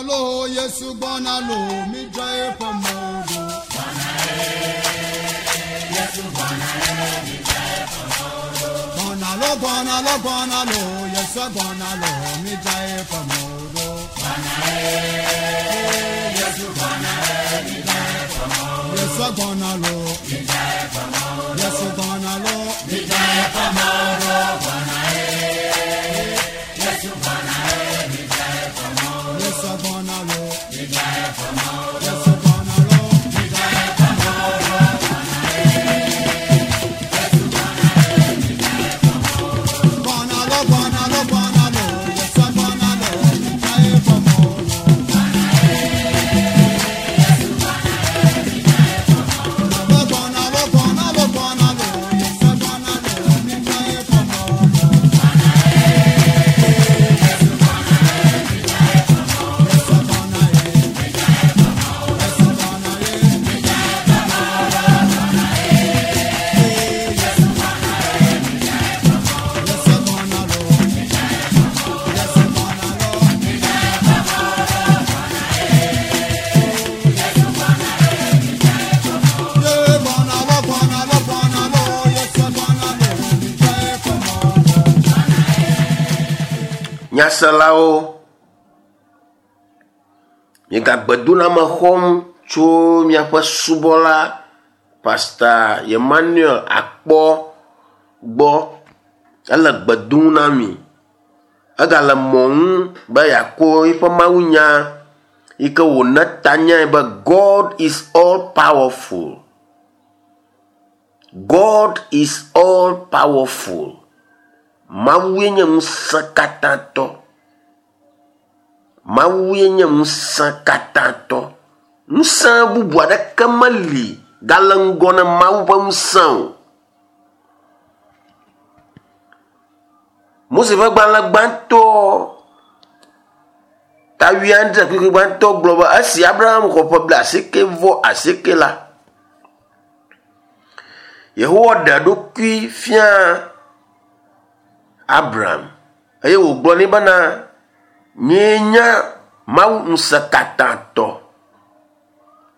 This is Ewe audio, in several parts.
lo, Yesu gbɔna lo, midzra eƒe mɔwo ɖo. Gbɔna lo, gbɔna lo, gbɔna lo, Yesu gbɔna lo, midzra eƒe mɔwo ɖo. Yesu gbɔna lo, Yesu gbɔna lo, midzra eƒe mɔwo ɖo. Yesu gbɔna lo, Yesu gbɔna lo, midzra eƒe mɔwo ɖo. Gbɔna lo, gbɔna lo, gbɔna lo, Yesu gbɔna lo, midzra eƒe mɔwo ɖo. Gbɔna lo, gbɔna lo, gbɔna lo, Yesu gbɔna lo, midzra eƒe mɔwo ɖo. Yesu gbɔna ye, Yesu gbɔna ye, midzra eƒe mɔwo ɖo. Yesu gbɔna lo, Yesu gbɔna lo, midzra eƒe mɔwo ɖo. Ye gbɔna lo, gbɔna lo, gbɔna lo, Yesu gbɔna lo, midzra eƒe mɔwo ɖo. Nyaselawo, miegagbe doname xɔm tso miaƒe subɔla Pastor Emmanuel Akpɔ gbɔ. Ele gbe dom na mi. Egale mɔ ŋu be yeakɔ eƒe mawunya yi ke wòna tanyae be God is all powerful. God is all powerful. Mawue nye ŋusẽkatãtɔ. Mawue nye ŋusẽkatãtɔ. Ŋusẽ bubu aɖeke meli gale ŋgɔ na Mawu ƒe ŋusẽ o. Mose ƒe gbalẽ gbãtɔ ta wuiadre kpukpui gbãtɔ gblɔ be esi Abraham xɔ ƒe blaasieke vɔ asieke la, Yehowa ɖe eɖokui fia Abraham eye wògblɔ nɛ bena, nyee nye Mawu ŋusẽkatãtɔ.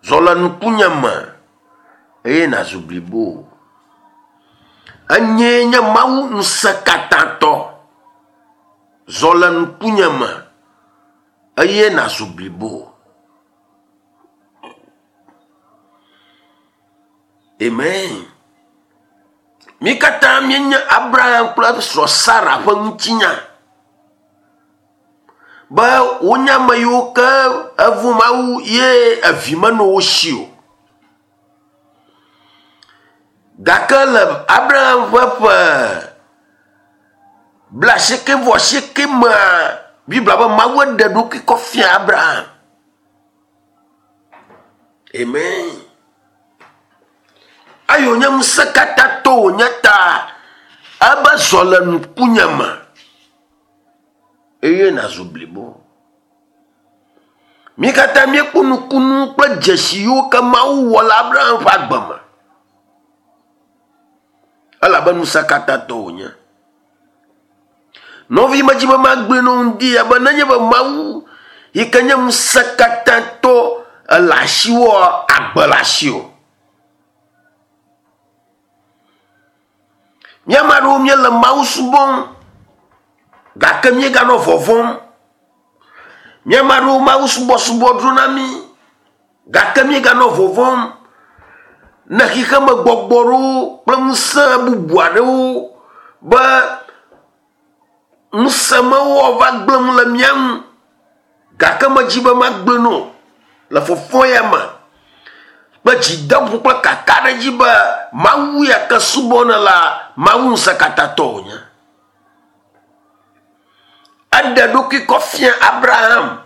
Zɔ le ŋkunye me eye nàzu blibo. Enyee nye Mawu ŋusẽkatãtɔ. Zɔ le ŋkunye me eye nàzu blibo. Amen. Mí katã míenye Abraham kple srɔ̃ Sara ƒe ŋutinya be wonye ame yiwo ke evu Mawu ye evi menɔ wo si o. Gake le Abraham ƒe ƒe blaasieke vɔ asieke mea, Biblia be Mawu ɖe eɖokui kɔ fia Abraham. Amen. Eyi wònye ŋusẽkatãtɔ wònye ta ebe zɔ le ŋkunye me eye nàzu blibo. Mí katã míekpɔ nukunu kple dzesi yiwo ke Mawu wɔ le Abraham ƒe agbe me. Elabe ŋusẽkatãtɔ wònye. Nɔvi medzi be magblɔe na wò ŋdi ya be nenye be Mawu yi ke nye ŋusẽkatãtɔ ele asiwòa, agbe le asiwò. Mía ame aɖewo míele Mawu subɔm gake míeganɔ vɔvɔ̃m. Mía ame aɖewo Mawu subɔsubɔ dzrona mí gake míeganɔ vɔvɔ̃m ne xexemegbɔgbɔ ɖewo kple ŋusẽ bubu aɖewo be ŋusẽ mawo va gblẽ nu le mía ŋu gake medzi be magblẽ nu o le fɔfɔ ya me kple dzideƒo kple kakaɖedzi be Mawu ya ke subɔm nèlea, Mawu ŋusẽkatãtɔ wònye. Eɖe eɖokui kɔ fia Abraham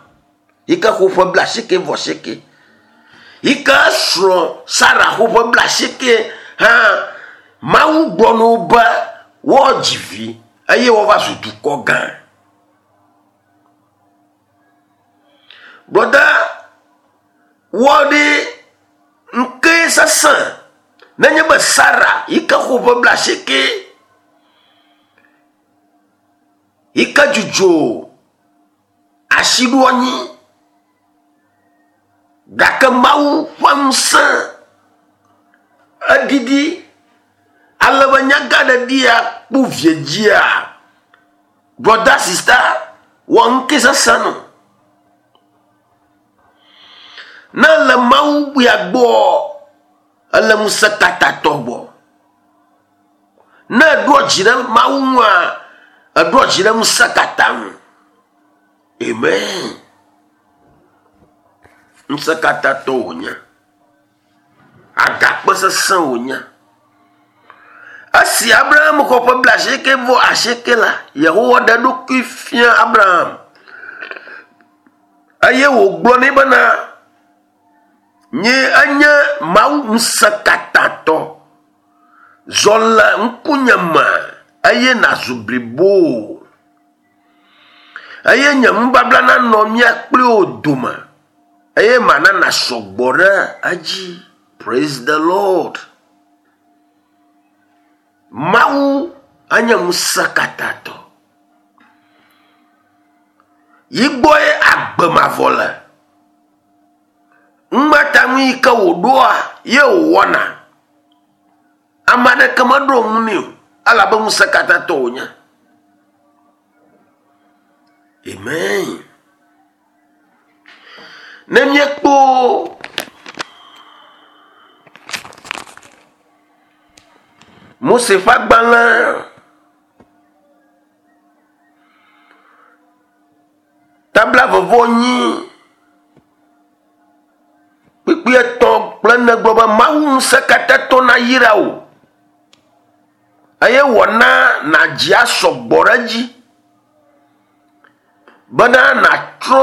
yi ke xɔ ƒe blaasieke vɔ asieke yi ke srɔ̃ Sara xɔ ƒe blaasieke hã Mawu gblɔ na wo be woadzi vi eye woava zu dukɔ gã. Brɔda wɔ ɖi ŋke sesẽ nenye be Sara yi ke xɔ ƒe blaasieke yi ke dzudzɔ asiɖoanyi. Mawu ƒe ŋusẽ eɖiɖi ale be nyagaɖeɖia kpo vie dzia, brɔda sista wɔ ŋke sesẽ nɔ. Ne ele Mawu ya gbɔ, ele ŋusẽ katatɔ gbɔ. Ne eɖoa dzi ɖe Mawu ŋua, eɖoa dzi ɖe ŋusẽ katã ŋu. Amen. Ŋusẽ katãtɔ wònye. Agakpe sesẽ wònye. Esi Abraham xɔ ƒe blaasieke vɔ asieke la, Yehowa ɖe eɖokui fia Abraham eye wògblɔ nɛ bena, Nye enye Mawu ŋusẽkatãtɔ. Zɔ le ŋkunye me eye nàzu blibo. Eye nye nubabla nanɔ mía kpli wò dome eye mana nàsɔ gbɔ ɖe edzi. Praise the Lord. Mawu enye ŋusẽkatãtɔ. Yi gbɔe agbe mavɔ le. Ŋmata nu yi ke wòɖoa ye wòwɔna. Ame aɖeke meɖo ŋu nɛ o elabe ŋusẽkatãtɔ wònye. Amen. Ne míekpɔ Mose ƒe agbalẽ Tabla vɔvɔ nyi kpukpui etɔ̃ kple ene gblɔ be Mawu ŋusẽkatãtɔ nayra wò eye wòana nàdzi asɔ gbɔ ɖe edzi bena nàtrɔ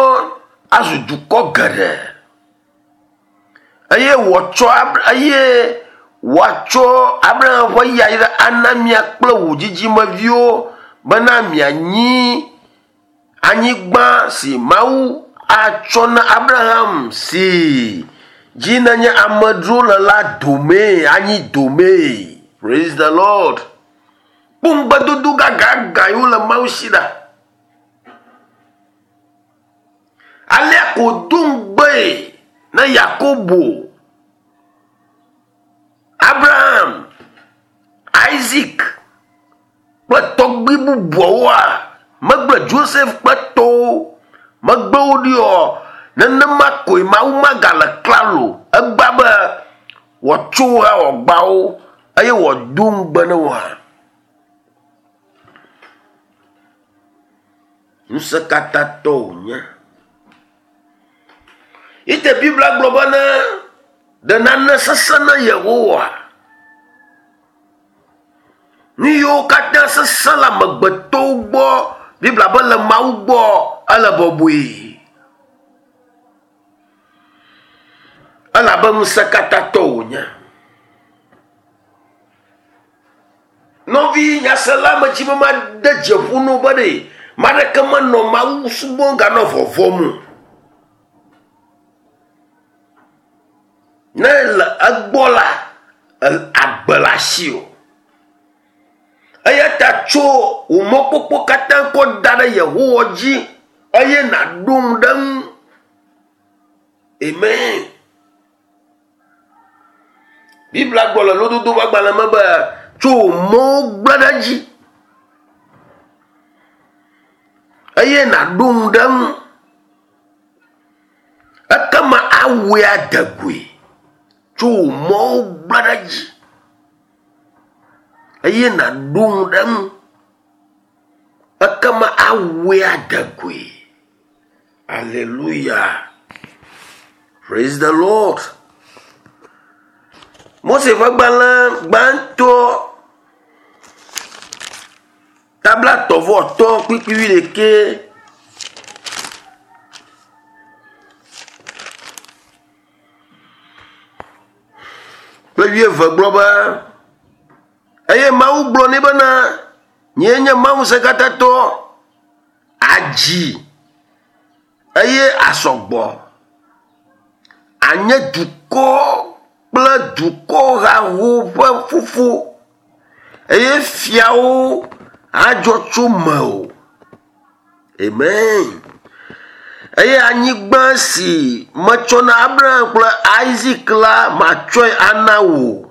azu dukɔ geɖe eye wòatsɔ eye wòatsɔ Abraham ƒe yayra ana mia kple wò dzidzimeviwo bena mianyi Anyigba si Mawu atsɔ na Abraham si dzi nenye amedzro le la domee, anyi domee. Praise the Lord. Kpɔ ŋugbedodo gãgãgã yiwo le Mawu si ɖa. Alea ko do ŋugbee na Yakobo, Abraham, Isaac kple tɔgbui bubuawoa, megble Joseph kple tɔwo megbe wo ɖi oa, nenema koe Mawu magale klalo egbea be wòatso wo hã wòagba wo eye wòado ŋugbe na wo hã. Ŋusẽkatãtɔ wònye. Ete Biblia gblɔ bena ɖe nane sesẽ na Yehowa. Nu yiwo katã sesẽ le amegbetɔwo gbɔ, Biblia be le Mawu gbɔ ele bɔbɔe. Elabe ŋusẽkatãtɔ wònye. Nɔvi nyasela medzi be made dze ƒo no be ɖe maɖeke menɔ Mawu subɔm ganɔ vɔvɔm o. Ne ele egbɔ la, agbe le asiwò. Eya ta tso wò mɔkpɔkpɔ katã kɔ da ɖe Yehowa dzi eye nàɖo ŋu ɖe eŋu. Amen. Biblia gblɔ le lododo ƒe agbalẽ me be tso wò mɔwo gblẽ ɖe edzi eye nàɖo ŋu ɖe eŋu. Ekema awɔe ade goe tso wò mɔwo gblẽ ɖe edzi eye nàɖo ŋu ɖe eŋu. Ekema awɔe ade goe. Aleluya. Praise the Lord. Mose ƒe gbalẽ gbãtɔ tablatɔ vɔ tɔ kpukpui wuiɖekɛ. Kple wuieve gblɔ be, eye Mawu gblɔ nɛ bena, nyee nye Mawu ŋusẽkatãtɔ, adzi eye asɔ gbɔ. Anye dukɔ kple dukɔ haho ƒe fofo eye fiawo adzɔ tso mewò. Amen. Eye anyigba si metsɔ na Abraham kple Isak la matsɔe ana wò.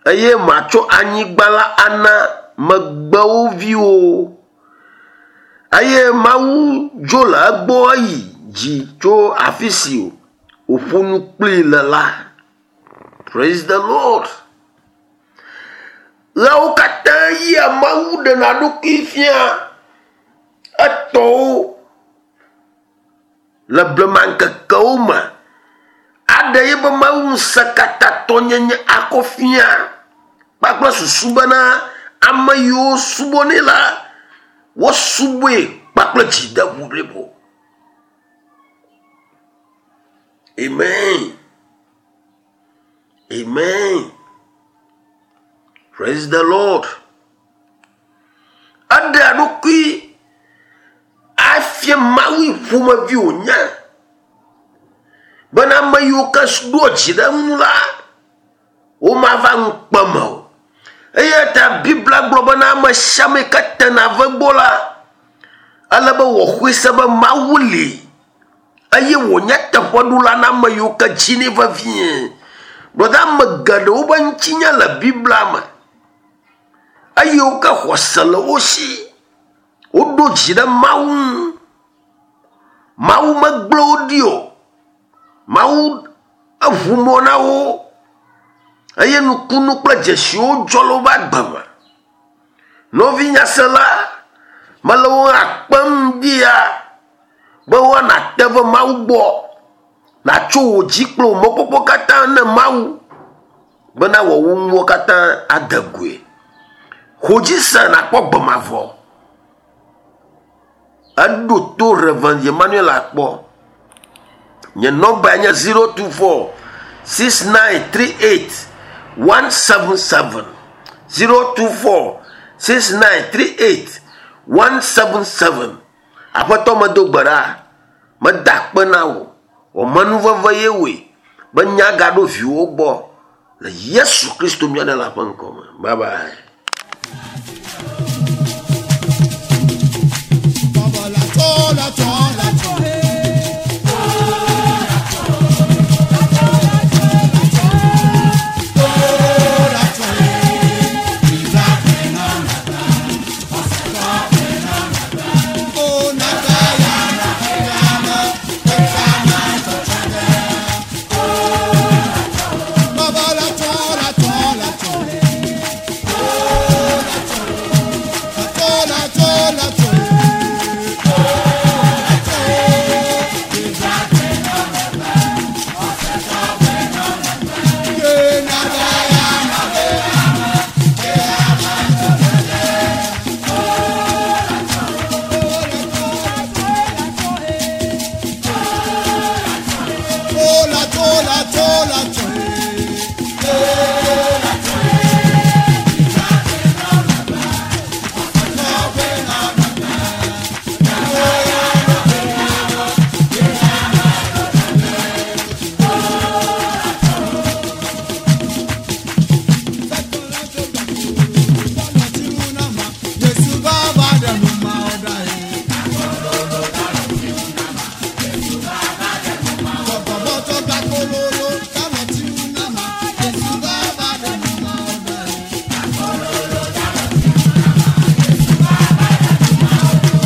Eye matsɔ anyigba la ana megbewo viwo. Eye Mawu dzo le egbɔ yi dzi tso afi si wòƒo nu kplii le la. Praise the Lord. Ɣeawo katã yia Mawu ɖena ɖokui fia etɔwo le blema ŋkekewo me aɖe yeƒe Mawu ŋusẽkatãtɔnyenye akɔ fia kpakple susu bena ame yiwo subɔnɛ la wosubɔe kpakple dzideƒo blibo. Amen. Amen. Praise the Lord. Eɖe eɖokui afia Mawu ƒomevi wònye bena ame yiwo ke ɖoa dzi ɖe eŋu la, womava ŋukpe me o. Eya ta Biblia gblɔ bena ame sia ame yi ke tena va egbɔ la, ele be wòaxɔe se be Mawu li eye wònye teƒeɖola na ame yiwo ke dzinɛ vevie. Gblɔ ame geɖewo ƒe ŋutinya le Biblia me eye wo ke xɔse le wo si. Woɖo dzi ɖe Mawu ŋu. Mawu megblẽ wo ɖi o. Mawu eʋu mɔ na wo eye nukunu kple dzesiwo dzɔ le woƒe agbe me. Nɔvi nyasela, mele wo hã kpem ɖia be woana te va Mawu gbɔ. Nàtso wò dzi kple wò mɔkpɔkpɔ katã ne Mawu bena wòawu nuwo katã ade goe. Xɔ dzi se nàkpɔ gbe mavɔ. Eɖo to Rev. Emmanuel akpɔ. Nye nɔmba nye 024 6938 177 024 6938 177. Aƒetɔ medo gbe ɖa, meda akpe na wò. Wò menuveve ye wɔe be nya gaɖo viwò gbɔ le Yesu Kristo mía Ɖela ƒe ŋkɔ me. Bye bye. Baba la tɔ la tɔ la tɔ. Baba la tɔ la tɔ la tɔ. La tɔ la tɔ la tɔ. La tɔ la tɔ la tɔ. Yesu baba dẹnu ma ọ̀dà yìí. Bọ̀bọ̀bọ̀ gba kololo káwọn tí ń nà má. Yesu baba dẹnu ma ọ̀dà yìí.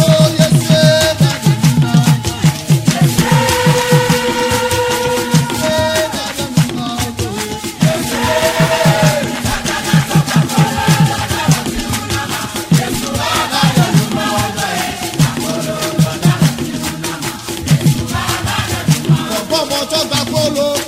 Ó Yesu bá dẹnu ma ọ̀dà yìí. Yesu bá dẹnu ma ọ̀dà yìí. Bọ̀bọ̀bọ̀ tó gba kololo.